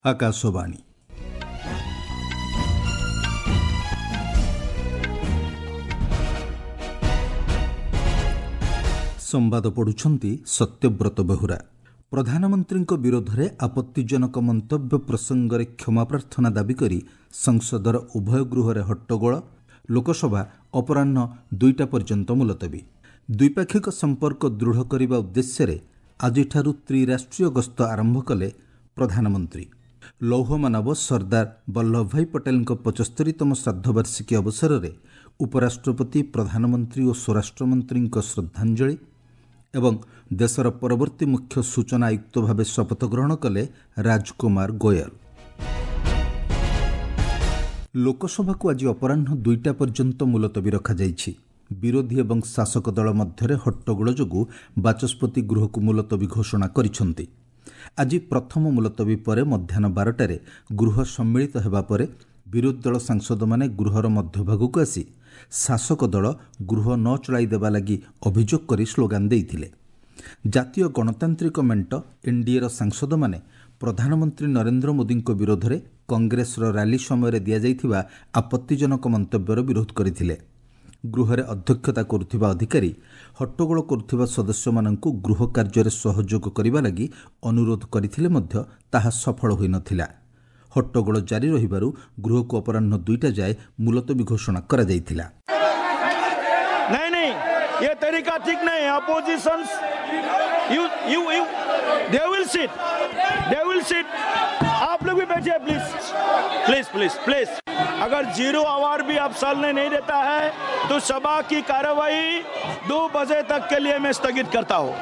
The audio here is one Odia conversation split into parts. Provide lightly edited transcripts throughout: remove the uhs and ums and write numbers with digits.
ଆକାଶବାଣୀ। ସମ୍ବାଦ ପଢ଼ୁଛନ୍ତି ସତ୍ୟବ୍ରତ ବେହୁରା। ପ୍ରଧାନମନ୍ତ୍ରୀଙ୍କ ବିରୋଧରେ ଆପତ୍ତିଜନକ ମନ୍ତବ୍ୟ ପ୍ରସଙ୍ଗରେ କ୍ଷମା ପ୍ରାର୍ଥନା ଦାବି କରି ସଂସଦର ଉଭୟ ଗୃହରେ ହଟ୍ଟଗୋଳ। ଲୋକସଭା ଅପରାହ୍ନ 2ଟା ପର୍ଯ୍ୟନ୍ତ ମୁଲତବୀ। ଦ୍ୱିପାକ୍ଷିକ ସମ୍ପର୍କ ଦୃଢ଼ କରିବା ଉଦ୍ଦେଶ୍ୟରେ ଆଜିଠାରୁ ତ୍ରିରାଷ୍ଟ୍ରୀୟ ଗସ୍ତ ଆରମ୍ଭ କଲେ ପ୍ରଧାନମନ୍ତ୍ରୀ। ଲୌହମାନବ ସର୍ଦ୍ଦାର ବଲ୍ଲଭଭାଇ ପଟେଲଙ୍କ 75ତମ ଶ୍ରାଦ୍ଧବାର୍ଷିକୀ ଅବସରରେ ଉପରାଷ୍ଟ୍ରପତି, ପ୍ରଧାନମନ୍ତ୍ରୀ ଓ ସ୍ୱରାଷ୍ଟ୍ରମନ୍ତ୍ରୀଙ୍କ ଶ୍ରଦ୍ଧାଞ୍ଜଳି। ଏବଂ ଦେଶର ପରବର୍ତ୍ତୀ ମୁଖ୍ୟ ସୂଚନା ଆୟୁକ୍ତ ଭାବେ ଶପଥ ଗ୍ରହଣ କଲେ ରାଜକୁମାର ଗୋୟଲ। ଲୋକସଭାକୁ ଆଜି ଅପରାହ୍ନ 2ଟା ପର୍ଯ୍ୟନ୍ତ ମୁଲତବୀ ରଖାଯାଇଛି। ବିରୋଧୀ ଏବଂ ଶାସକ ଦଳ ମଧ୍ୟରେ ହଟ୍ଟଗୋଳ ଯୋଗୁଁ ବାଚସ୍ପତି ଗୃହକୁ ମୁଲତବୀ ଘୋଷଣା କରିଛନ୍ତି। ଆଜି ପ୍ରଥମ ମୁଲତବୀ ପରେ ମଧ୍ୟାହ୍ନ 12ଟାରେ ଗୃହ ସମ୍ମିଳିତ ହେବା ପରେ ବିରୋଧୀ ଦଳ ସାଂସଦମାନେ ଗୃହର ମଧ୍ୟଭାଗକୁ ଆସି ଶାସକ ଦଳ ଗୃହ ନ ଚଳାଇ ଦେବା ଲାଗି ଅଭିଯୋଗ କରି ସ୍ଲୋଗାନ ଦେଇଥିଲେ। ଜାତୀୟ ଗଣତାନ୍ତ୍ରିକ ମେଣ୍ଟ ଏନ୍ଡିଏର ସାଂସଦମାନେ ପ୍ରଧାନମନ୍ତ୍ରୀ ନରେନ୍ଦ୍ର ମୋଦିଙ୍କ ବିରୋଧରେ କଂଗ୍ରେସର ରାଲି ସମୟରେ ଦିଆଯାଇଥିବା ଆପତ୍ତିଜନକ ମନ୍ତବ୍ୟର ବିରୋଧ କରିଥିଲେ। ଗୃହରେ ଅଧ୍ୟକ୍ଷତା କରୁଥିବା ଅଧିକାରୀ ହଟ୍ଟଗୋଳ କରୁଥିବା ସଦସ୍ୟମାନଙ୍କୁ ଗୃହ କାର୍ଯ୍ୟରେ ସହଯୋଗ କରିବା ଲାଗି ଅନୁରୋଧ କରିଥିଲେ ମଧ୍ୟ ତାହା ସଫଳ ହୋଇନଥିଲା। ହଟ୍ଟଗୋଳ ଜାରି ରହିବାରୁ ଗୃହକୁ ଅପରାହ୍ନ 2ଟା ଯାଏ ମୁଲତବୀ ଘୋଷଣା କରାଯାଇଥିଲା। नहीं नहीं, ये तरीका ठीक नहीं है। Opposition, you you you they will sit, they will sit. आप लोग भी बैठिए, प्लीज प्लीज प्लीज प्लीज। अगर जीरो आवर भी आप चलने नहीं देता है तो सभा की कार्रवाई 2 बजे तक के लिए मैं स्थगित करता हूँ।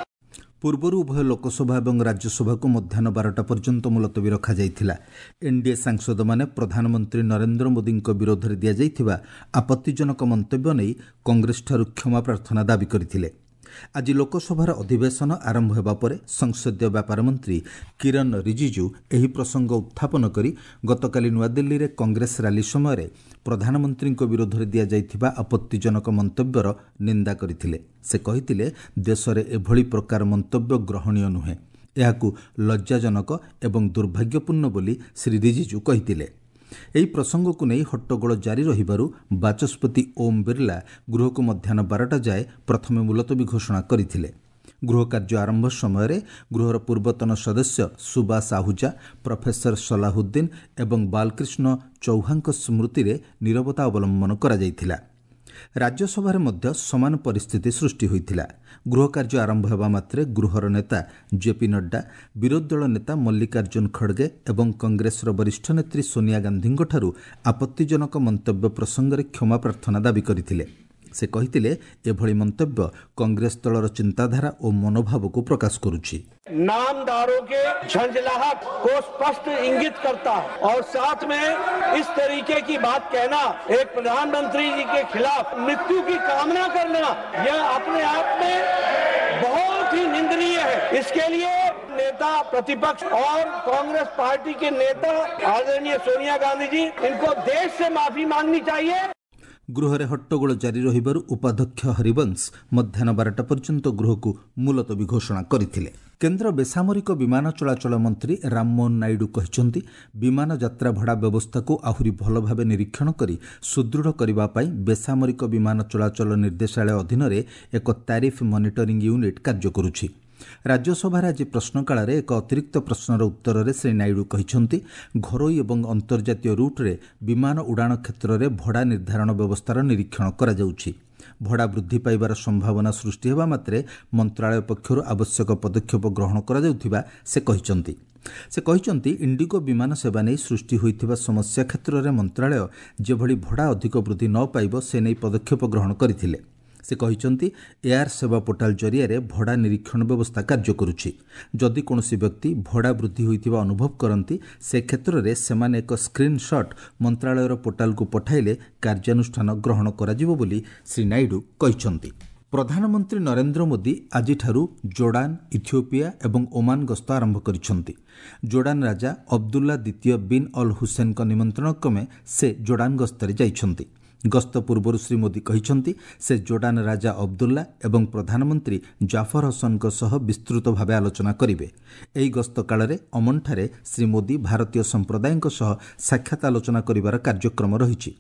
ପୂର୍ବରୁ ଉଭୟ ଲୋକସଭା ଏବଂ ରାଜ୍ୟସଭାକୁ ମଧ୍ୟାହ୍ନ 12ଟା ପର୍ଯ୍ୟନ୍ତ ମୁଲତବୀ ରଖାଯାଇଥିଲା। ଏନ୍ଡିଏ ସାଂସଦମାନେ ପ୍ରଧାନମନ୍ତ୍ରୀ ନରେନ୍ଦ୍ର ମୋଦିଙ୍କ ବିରୋଧରେ ଦିଆଯାଇଥିବା ଆପତ୍ତିଜନକ ମନ୍ତବ୍ୟ ନେଇ କଂଗ୍ରେସଠାରୁ କ୍ଷମା ପ୍ରାର୍ଥନା ଦାବି କରିଥିଲେ। ଆଜି ଲୋକସଭାର ଅଧିବେଶନ ଆରମ୍ଭ ହେବା ପରେ ସଂସଦୀୟ ବ୍ୟାପାର ମନ୍ତ୍ରୀ କିରଣ ରିଜିଜୁ ଏହି ପ୍ରସଙ୍ଗ ଉତ୍ଥାପନ କରି ଗତକାଲି ନୂଆଦିଲ୍ଲୀରେ କଂଗ୍ରେସ ରାଲି ସମୟରେ ପ୍ରଧାନମନ୍ତ୍ରୀଙ୍କ ବିରୋଧରେ ଦିଆଯାଇଥିବା ଆପତ୍ତିଜନକ ମନ୍ତବ୍ୟର ନିନ୍ଦା କରିଥିଲେ। ସେ କହିଥିଲେ, ଦେଶରେ ଏଭଳି ପ୍ରକାର ମନ୍ତବ୍ୟ ଗ୍ରହଣୀୟ ନୁହେଁ, ଏହାକୁ ଲଜ୍ଜାଜନକ ଏବଂ ଦୁର୍ଭାଗ୍ୟପୂର୍ଣ୍ଣ ବୋଲି ଶ୍ରୀ ରିଜିଜୁ କହିଥିଲେ। ଏହି ପ୍ରସଙ୍ଗକୁ ନେଇ ହଟ୍ଟଗୋଳ ଜାରି ରହିବାରୁ ବାଚସ୍ପତି ଓମ୍ ବିର୍ଲା ଗୃହକୁ ମଧ୍ୟାହ୍ନ 12ଟା ଯାଏ ପ୍ରଥମେ ମୁଲତବୀ ଘୋଷଣା କରିଥିଲେ। ଗୃହ କାର୍ଯ୍ୟ ଆରମ୍ଭ ସମୟରେ ଗୃହର ପୂର୍ବତନ ସଦସ୍ୟ ସୁବାସ ଆହୁଜା, ପ୍ରଫେସର ସଲାହୁଦ୍ଦିନ ଏବଂ ବାଲକ୍ରିଷ୍ଣ ଚୌହାଙ୍କ ସ୍ମୃତିରେ ନିରବତା ଅବଲମ୍ବନ କରାଯାଇଥିଲା। ରାଜ୍ୟସଭାରେ ମଧ୍ୟ ସମାନ ପରିସ୍ଥିତି ସୃଷ୍ଟି ହୋଇଥିଲା। ଗୃହ କାର୍ଯ୍ୟ ଆରମ୍ଭ ହେବା ମାତ୍ରେ ଗୃହର ନେତା ଜେପି ନଡ୍ଡା, ବିରୋଧୀ ଦଳ ନେତା ମଲ୍ଲିକାର୍ଜୁନ ଖଡ଼ଗେ ଏବଂ କଂଗ୍ରେସର ବରିଷ୍ଠ ନେତ୍ରୀ ସୋନିଆ ଗାନ୍ଧୀଙ୍କଠାରୁ ଆପତ୍ତିଜନକ ମନ୍ତବ୍ୟ ପ୍ରସଙ୍ଗରେ କ୍ଷମା ପ୍ରାର୍ଥନା ଦାବି କରିଥିଲେ। ସେ କହିଥିଲେ, ଏଭଳି ମନ୍ତବ୍ୟ କଂଗ୍ରେସ ଦଳର ଚିନ୍ତାଧାରା ଓ ମନୋଭାବକୁ ପ୍ରକାଶ କରୁଛି। नामदारों के झंझलाहट को स्पष्ट इंगित करता है और साथ में इस तरीके की बात कहना, एक प्रधानमंत्री जी के खिलाफ मृत्यु की कामना करना, यह अपने आप में बहुत ही निंदनीय है। इसके लिए नेता प्रतिपक्ष और कांग्रेस पार्टी के नेता आदरणीय सोनिया गांधी जी, इनको देश से माफी मांगनी चाहिए। ଗୃହରେ ହଟ୍ଟଗୋଳ ଜାରି ରହିବାରୁ ଉପାଧ୍ୟକ୍ଷ ହରିବଂଶ ମଧ୍ୟାହ୍ନ 12ଟା ପର୍ଯ୍ୟନ୍ତ ଗୃହକୁ ମୁଲତବୀ ଘୋଷଣା କରିଥିଲେ। କେନ୍ଦ୍ର ବେସାମରିକ ବିମାନ ଚଳାଚଳ ମନ୍ତ୍ରୀ ରାମମୋହନ ନାଇଡୁ କହିଛନ୍ତି, ବିମାନ ଯାତ୍ରା ଭଡ଼ା ବ୍ୟବସ୍ଥାକୁ ଆହୁରି ଭଲ ଭାବେ ନିରୀକ୍ଷଣ କରି ସୁଦୃଢ଼ କରିବା ପାଇଁ ବେସାମରିକ ବିମାନ ଚଳାଚଳ ନିର୍ଦ୍ଦେଶାଳୟ ଅଧୀନରେ ଏକ ତାରିଫ ମନିଟରିଂ ୟୁନିଟ୍ କାର୍ଯ୍ୟ କରୁଛି। ରାଜ୍ୟସଭାରେ ଆଜି ପ୍ରଶ୍ନକାଳରେ ଏକ ଅତିରିକ୍ତ ପ୍ରଶ୍ନର ଉତ୍ତରରେ ଶ୍ରୀ ନାଇଡୁ କହିଛନ୍ତି, ଘରୋଇ ଏବଂ ଅନ୍ତର୍ଜାତୀୟ ରୁଟ୍ରେ ବିମାନ ଉଡ଼ାଣ କ୍ଷେତ୍ରରେ ଭଡ଼ା ନିର୍ଦ୍ଧାରଣ ବ୍ୟବସ୍ଥାର ନିରୀକ୍ଷଣ କରାଯାଉଛି। ଭଡ଼ା ବୃଦ୍ଧି ପାଇବାର ସମ୍ଭାବନା ସୃଷ୍ଟି ହେବା ମାତ୍ରେ ମନ୍ତ୍ରାଳୟ ପକ୍ଷରୁ ଆବଶ୍ୟକ ପଦକ୍ଷେପ ଗ୍ରହଣ କରାଯାଉଥିବା ସେ କହିଛନ୍ତି। ସେ କହିଛନ୍ତି, ଇଣ୍ଡିଗୋ ବିମାନ ସେବା ନେଇ ସୃଷ୍ଟି ହୋଇଥିବା ସମସ୍ୟା କ୍ଷେତ୍ରରେ ମନ୍ତ୍ରାଳୟ ଯେଭଳି ଭଡ଼ା ଅଧିକ ବୃଦ୍ଧି ନ ପାଇବ ସେ ନେଇ ପଦକ୍ଷେପ ଗ୍ରହଣ କରିଥିଲେ। ସେ କହିଛନ୍ତି, ଏୟାର ସେବା ପୋର୍ଟାଲ ଜରିଆରେ ଭଡ଼ା ନିରୀକ୍ଷଣ ବ୍ୟବସ୍ଥା କାର୍ଯ୍ୟ କରୁଛି। ଯଦି କୌଣସି ବ୍ୟକ୍ତି ଭଡ଼ା ବୃଦ୍ଧି ହୋଇଥିବା ଅନୁଭବ କରନ୍ତି, ସେ କ୍ଷେତ୍ରରେ ସେମାନେ ଏକ ସ୍କ୍ରିନ୍ସଟ୍ ମନ୍ତ୍ରାଳୟର ପୋର୍ଟାଲକୁ ପଠାଇଲେ କାର୍ଯ୍ୟାନୁଷ୍ଠାନ ଗ୍ରହଣ କରାଯିବ ବୋଲି ଶ୍ରୀ ନାଇଡୁ କହିଛନ୍ତି। ପ୍ରଧାନମନ୍ତ୍ରୀ ନରେନ୍ଦ୍ର ମୋଦି ଆଜିଠାରୁ ଜୋର୍ଡାନ, ଇଥିଓପିଆ ଏବଂ ଓମାନ ଗସ୍ତ ଆରମ୍ଭ କରିଛନ୍ତି। ଜୋର୍ଡାନ ରାଜା ଅବଦୁଲ୍ଲା ଦ୍ୱିତୀୟ ବିନ୍ ଅଲ୍ ହୁସେନଙ୍କ ନିମନ୍ତ୍ରଣ କ୍ରମେ ସେ ଜୋର୍ଡାନ ଗସ୍ତରେ ଯାଇଛନ୍ତି। ଗସ୍ତ ପୂର୍ବରୁ ଶ୍ରୀ ମୋଦି କହିଛନ୍ତି, ସେ ଜୋର୍ଡାନ ରାଜା ଅବଦୁଲ୍ଲା ଏବଂ ପ୍ରଧାନମନ୍ତ୍ରୀ ଜାଫର ହସନଙ୍କ ସହ ବିସ୍ତୃତ ଭାବେ ଆଲୋଚନା କରିବେ। ଏହି ଗସ୍ତ କାଳରେ ଅମନଠାରେ ଶ୍ରୀ ମୋଦି ଭାରତୀୟ ସମ୍ପ୍ରଦାୟଙ୍କ ସହ ସାକ୍ଷାତ ଆଲୋଚନା କରିବାର କାର୍ଯ୍ୟକ୍ରମ ରହିଛି।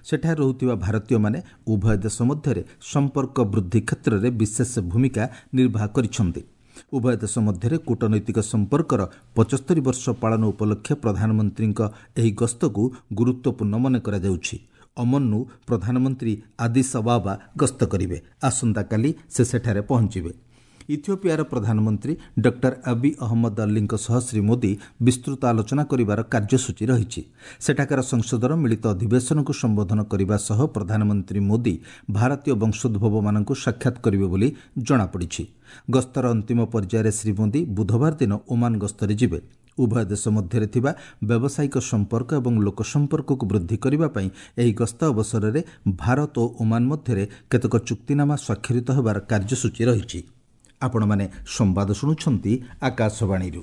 ସେଠାରେ ରହୁଥିବା ଭାରତୀୟମାନେ ଉଭୟ ଦେଶ ମଧ୍ୟରେ ସମ୍ପର୍କ ବୃଦ୍ଧି କ୍ଷେତ୍ରରେ ବିଶେଷ ଭୂମିକା ନିର୍ବାହ କରିଛନ୍ତି। ଉଭୟ ଦେଶ ମଧ୍ୟରେ କୂଟନୈତିକ ସମ୍ପର୍କର 75 ବର୍ଷ ପାଳନ ଉପଲକ୍ଷେ ପ୍ରଧାନମନ୍ତ୍ରୀଙ୍କ ଏହି ଗସ୍ତକୁ ଗୁରୁତ୍ୱପୂର୍ଣ୍ଣ ମନେ କରାଯାଉଛି। ଅମନରୁ ପ୍ରଧାନମନ୍ତ୍ରୀ ଆଦିସ୍ ଅବାବା ଗସ୍ତ କରିବେ। ଆସନ୍ତାକାଲି ସେ ସେଠାରେ ପହଞ୍ଚିବେ। ଇଥିଓପିଆର ପ୍ରଧାନମନ୍ତ୍ରୀ ଡକ୍ଟର ଆବି ଅହମ୍ମଦ ଅଲ୍ଲୀଙ୍କ ସହ ଶ୍ରୀ ମୋଦି ବିସ୍ତୃତ ଆଲୋଚନା କରିବାର କାର୍ଯ୍ୟସୂଚୀ ରହିଛି। ସେଠାକାର ସଂସଦର ମିଳିତ ଅଧିବେଶନକୁ ସମ୍ବୋଧନ କରିବା ସହ ପ୍ରଧାନମନ୍ତ୍ରୀ ମୋଦି ଭାରତୀୟ ବଂଶୋଦ୍ଭବମାନଙ୍କୁ ସାକ୍ଷାତ କରିବେ ବୋଲି ଜଣାପଡ଼ିଛି। ଗସ୍ତର ଅନ୍ତିମ ପର୍ଯ୍ୟାୟରେ ଶ୍ରୀ ମୋଦି ବୁଧବାର ଦିନ ଓମାନ ଗସ୍ତରେ ଯିବେ। ଉଭୟ ଦେଶ ମଧ୍ୟରେ ଥିବା ବ୍ୟବସାୟିକ ସମ୍ପର୍କ ଏବଂ ଲୋକସମ୍ପର୍କକୁ ବୃଦ୍ଧି କରିବା ପାଇଁ ଏହି ଗସ୍ତ ଅବସରରେ ଭାରତ ଓ ଓମାନ ମଧ୍ୟରେ କେତେକ ଚୁକ୍ତିନାମା ସ୍ୱାକ୍ଷରିତ ହେବାର କାର୍ଯ୍ୟସୂଚୀ ରହିଛି। ଆପଣମାନେ ସମ୍ବାଦ ଶୁଣୁଛନ୍ତି ଆକାଶବାଣୀରୁ।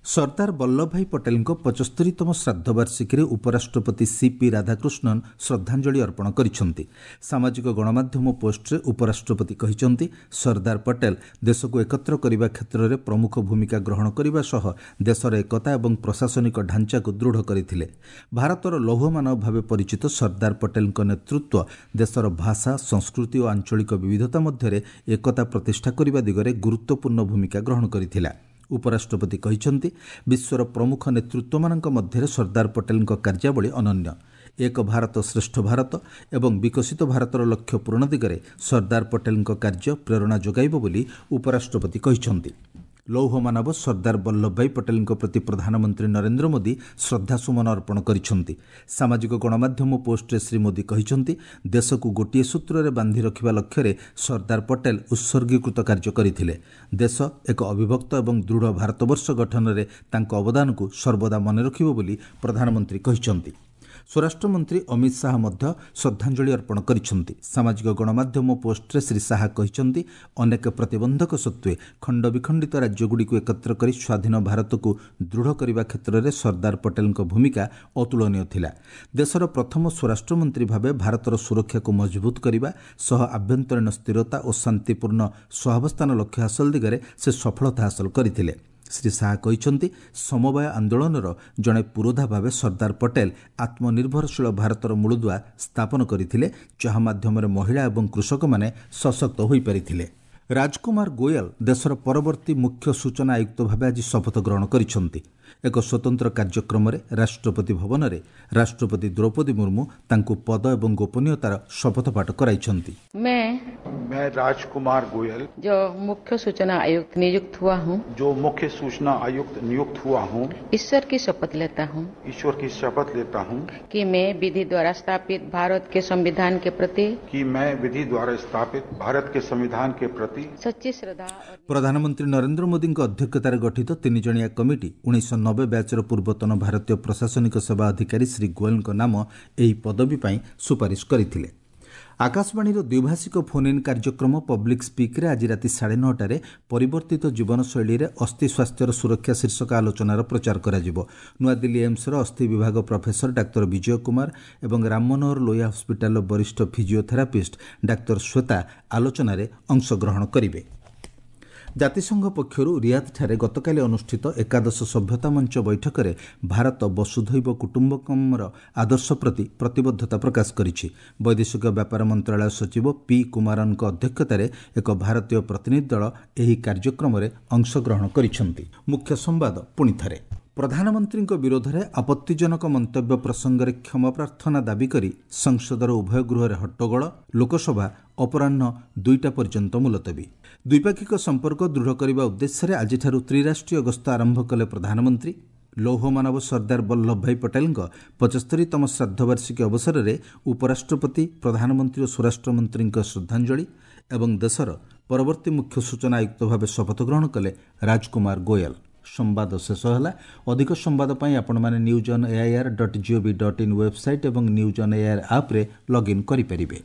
ସର୍ଦ୍ଦାର ବଲ୍ଲଭଭାଇ ପଟେଲଙ୍କ 75ତମ ଶ୍ରାଦ୍ଧବାର୍ଷିକୀରେ ଉପରାଷ୍ଟ୍ରପତି ସିପି ରାଧାକୃଷ୍ଣନ ଶ୍ରଦ୍ଧାଞ୍ଜଳି ଅର୍ପଣ କରିଛନ୍ତି। ସାମାଜିକ ଗଣମାଧ୍ୟମ ପୋଷ୍ଟରେ ଉପରାଷ୍ଟ୍ରପତି କହିଛନ୍ତି, ସର୍ଦ୍ଦାର ପଟେଲ ଦେଶକୁ ଏକତ୍ର କରିବା କ୍ଷେତ୍ରରେ ପ୍ରମୁଖ ଭୂମିକା ଗ୍ରହଣ କରିବା ସହ ଦେଶର ଏକତା ଏବଂ ପ୍ରଶାସନିକ ଢାଞ୍ଚାକୁ ଦୃଢ଼ କରିଥିଲେ। ଭାରତର ଲୌହମାନବ ଭାବେ ପରିଚିତ ସର୍ଦ୍ଦାର ପଟେଲଙ୍କ ନେତୃତ୍ୱ ଦେଶର ଭାଷା, ସଂସ୍କୃତି ଓ ଆଞ୍ଚଳିକ ବିବିଧତା ମଧ୍ୟରେ ଏକତା ପ୍ରତିଷ୍ଠା କରିବା ଦିଗରେ ଗୁରୁତ୍ୱପୂର୍ଣ୍ଣ ଭୂମିକା ଗ୍ରହଣ କରିଥିଲା। ଉପରାଷ୍ଟ୍ରପତି କହିଛନ୍ତି, ବିଶ୍ୱର ପ୍ରମୁଖ ନେତୃତ୍ୱମାନଙ୍କ ମଧ୍ୟରେ ସର୍ଦ୍ଦାର ପଟେଲଙ୍କ କାର୍ଯ୍ୟାବଳୀ ଅନନ୍ୟ। ଏକ ଭାରତ ଶ୍ରେଷ୍ଠ ଭାରତ ଏବଂ ବିକଶିତ ଭାରତର ଲକ୍ଷ୍ୟ ପୂରଣ ଦିଗରେ ସର୍ଦ୍ଦାର ପଟେଲଙ୍କ କାର୍ଯ୍ୟ ପ୍ରେରଣା ଯୋଗାଇବ ବୋଲି ଉପରାଷ୍ଟ୍ରପତି କହିଛନ୍ତି। ଲୌହ ମାନବ ସର୍ଦ୍ଦାର ବଲ୍ଲଭଭାଇ ପଟେଲଙ୍କ ପ୍ରତି ପ୍ରଧାନମନ୍ତ୍ରୀ ନରେନ୍ଦ୍ର ମୋଦି ଶ୍ରଦ୍ଧାସୁମନ ଅର୍ପଣ କରିଛନ୍ତି। ସାମାଜିକ ଗଣମାଧ୍ୟମ ପୋଷ୍ଟରେ ଶ୍ରୀ ମୋଦି କହିଛନ୍ତି, ଦେଶକୁ ଗୋଟିଏ ସୂତ୍ରରେ ବାନ୍ଧି ରଖିବା ଲକ୍ଷ୍ୟରେ ସର୍ଦ୍ଦାର ପଟେଲ ଉତ୍ସର୍ଗୀକୃତ କାର୍ଯ୍ୟ କରିଥିଲେ। ଦେଶ ଏକ ଅବିଭକ୍ତ ଏବଂ ଦୃଢ଼ ଭାରତବର୍ଷ ଗଠନରେ ତାଙ୍କ ଅବଦାନକୁ ସର୍ବଦା ମନେ ରଖିବ ବୋଲି ପ୍ରଧାନମନ୍ତ୍ରୀ କହିଛନ୍ତି। ସ୍ୱରାଷ୍ଟ୍ରମନ୍ତ୍ରୀ ଅମିତ ଶାହା ମଧ୍ୟ ଶ୍ରଦ୍ଧାଞ୍ଜଳି ଅର୍ପଣ କରିଛନ୍ତି। ସାମାଜିକ ଗଣମାଧ୍ୟମ ପୋଷ୍ଟରେ ଶ୍ରୀ ଶାହା କହିଛନ୍ତି, ଅନେକ ପ୍ରତିବନ୍ଧକ ସତ୍ତ୍ୱେ ଖଣ୍ଡବିଖଣ୍ଡିତ ରାଜ୍ୟଗୁଡ଼ିକୁ ଏକତ୍ର କରି ସ୍ୱାଧୀନ ଭାରତକୁ ଦୃଢ଼ କରିବା କ୍ଷେତ୍ରରେ ସର୍ଦ୍ଦାର ପଟେଲଙ୍କ ଭୂମିକା ଅତୁଳନୀୟ ଥିଲା। ଦେଶର ପ୍ରଥମ ସ୍ୱରାଷ୍ଟ୍ରମନ୍ତ୍ରୀ ଭାବେ ଭାରତର ସୁରକ୍ଷାକୁ ମଜବୁତ କରିବା ସହ ଆଭ୍ୟନ୍ତରୀଣ ସ୍ଥିରତା ଓ ଶାନ୍ତିପୂର୍ଣ୍ଣ ସହାବସ୍ଥାନ ଲକ୍ଷ୍ୟ ହାସଲ ଦିଗରେ ସେ ସଫଳତା ହାସଲ କରିଥିଲେ। ଶ୍ରୀ ଶାହା କହିଛନ୍ତି, ସମବାୟ ଆନ୍ଦୋଳନର ଜଣେ ପୁରୋଧା ଭାବେ ସର୍ଦ୍ଦାର ପଟେଲ ଆତ୍ମନିର୍ଭରଶୀଳ ଭାରତର ମୂଳଦୁଆ ସ୍ଥାପନ କରିଥିଲେ, ଯାହା ମାଧ୍ୟମରେ ମହିଳା ଏବଂ କୃଷକମାନେ ସଶକ୍ତ ହୋଇପାରିଥିଲେ। ରାଜକୁମାର ଗୋୟଲ ଦେଶର ପରବର୍ତ୍ତୀ ମୁଖ୍ୟ ସୂଚନା ଆୟୁକ୍ତ ଭାବେ ଆଜି ଶପଥ ଗ୍ରହଣ କରିଛନ୍ତି। ଏକ ସ୍ୱତନ୍ତ୍ର କାର୍ଯ୍ୟକ୍ରମରେ ରାଷ୍ଟ୍ରପତି ଭବନରେ ରାଷ୍ଟ୍ରପତି ଦ୍ରୌପଦୀ ମୁର୍ମୁ ତାଙ୍କୁ ପଦ ଏବଂ ଗୋପନୀୟତାର ଶପଥ ପାଠ କରାଇଛନ୍ତି। मैं राजकुमार गोयल, जो मुख्य सूचना आयुक्त नियुक्त हुआ हूँ, जो मुख्य सूचना आयुक्त नियुक्त हुआ हूँ, ईश्वर की शपथ लेता हूँ, ईश्वर की शपथ लेता हूँ कि मैं विधि द्वारा स्थापित भारत के संविधान के प्रति, कि मैं विधि द्वारा स्थापित भारत के संविधान के प्रति सच्ची श्रद्धा और ପ୍ରଧାନମନ୍ତ୍ରୀ ନରେନ୍ଦ୍ର ମୋଦିଙ୍କ ଅଧ୍ୟକ୍ଷତାରେ ଗଠିତ ତିନିଜଣିଆ କମିଟି 1990 ବ୍ୟାଚ୍ର ପୂର୍ବତନ ଭାରତୀୟ ପ୍ରଶାସନିକ ସେବା ଅଧିକାରୀ ଶ୍ରୀ ଗୋଏଲଙ୍କ ନାମ ଏହି ପଦବୀ ପାଇଁ ସୁପାରିଶ କରିଥିଲେ। ଆକାଶବାଣୀର ଦ୍ୱିଭାଷିକ ଫୋନ୍ ଇନ୍ କାର୍ଯ୍ୟକ୍ରମ ପବ୍ଲିକ୍ ସ୍ପିକ୍ରେ ଆଜି ରାତି 9:30ରେ ପରିବର୍ତ୍ତିତ ଜୀବନଶୈଳୀରେ ଅସ୍ଥି ସ୍ୱାସ୍ଥ୍ୟର ସୁରକ୍ଷା ଶୀର୍ଷକ ଆଲୋଚନାର ପ୍ରଚାର କରାଯିବ। ନୂଆଦିଲ୍ଲୀ ଏମ୍ସର ଅସ୍ଥି ବିଭାଗ ପ୍ରଫେସର ଡାକ୍ତର ବିଜୟ କୁମାର ଏବଂ ରାମ ମନୋହର ଲୋହିଆ ହସ୍ପିଟାଲର ବରିଷ୍ଠ ଫିଜିଓଥେରାପିଷ୍ଟ ଡାକ୍ତର ଶ୍ୱେତା ଆଲୋଚନାରେ ଅଂଶଗ୍ରହଣ କରିବେ। ଜାତିସଂଘ ପକ୍ଷରୁ ରିୟାଦଠାରେ ଗତକାଲି ଅନୁଷ୍ଠିତ ଏକାଦଶ ସଭ୍ୟତା ମଞ୍ଚ ବୈଠକରେ ଭାରତ ବସୁଧୈବ କୁଟୁମ୍ବକମର ଆଦର୍ଶ ପ୍ରତି ପ୍ରତିବଦ୍ଧତା ପ୍ରକାଶ କରିଛି। ବୈଦେଶିକ ବ୍ୟାପାର ମନ୍ତ୍ରଣାଳୟ ସଚିବ ପି କୁମାରନଙ୍କ ଅଧ୍ୟକ୍ଷତାରେ ଏକ ଭାରତୀୟ ପ୍ରତିନିଧି ଦଳ ଏହି କାର୍ଯ୍ୟକ୍ରମରେ ଅଂଶଗ୍ରହଣ କରିଛନ୍ତି। ମୁଖ୍ୟ ସମ୍ବାଦ ପୁଣିଥରେ। ପ୍ରଧାନମନ୍ତ୍ରୀଙ୍କ ବିରୋଧରେ ଆପତ୍ତିଜନକ ମନ୍ତବ୍ୟ ପ୍ରସଙ୍ଗରେ କ୍ଷମା ପ୍ରାର୍ଥନା ଦାବି କରି ସଂସଦର ଉଭୟ ଗୃହରେ ହଟ୍ଟଗୋଳ। ଲୋକସଭା ଅପରାହ୍ନ 2ଟା ପର୍ଯ୍ୟନ୍ତ ମୁଲତବୀ। ଦ୍ୱିପାକ୍ଷିକ ସମ୍ପର୍କ ଦୃଢ଼ କରିବା ଉଦ୍ଦେଶ୍ୟରେ ଆଜିଠାରୁ ତ୍ରିରାଷ୍ଟ୍ରୀୟ ଗସ୍ତ ଆରମ୍ଭ କଲେ ପ୍ରଧାନମନ୍ତ୍ରୀ। ଲୌହମାନବ ସର୍ଦ୍ଦାର ବଲ୍ଲଭଭାଇ ପଟେଲଙ୍କ 75ତମ ଶ୍ରାଦ୍ଧବାର୍ଷିକୀ ଅବସରରେ ଉପରାଷ୍ଟ୍ରପତି, ପ୍ରଧାନମନ୍ତ୍ରୀ ଓ ସ୍ୱରାଷ୍ଟ୍ରମନ୍ତ୍ରୀଙ୍କ ଶ୍ରଦ୍ଧାଞ୍ଜଳି ଏବଂ ଦେଶର ପରବର୍ତ୍ତୀ ମୁଖ୍ୟ ସୂଚନା ଆୟୁକ୍ତ ଭାବେ ଶପଥ ଗ୍ରହଣ କଲେ ରାଜକୁମାର ଗୋୟଲ। ସମ୍ବାଦ ଶେଷ ହେଲା। ଅଧିକ ସମ୍ବାଦ ପାଇଁ ଆପଣମାନେ news on AIR dot GOV dot in website ଏବଂ ନ୍ୟୁଜ୍ ଅନ୍ ଏଆଇଆର୍ ଆପ୍ରେ ଲଗ୍ଇନ୍ କରିପାରିବେ।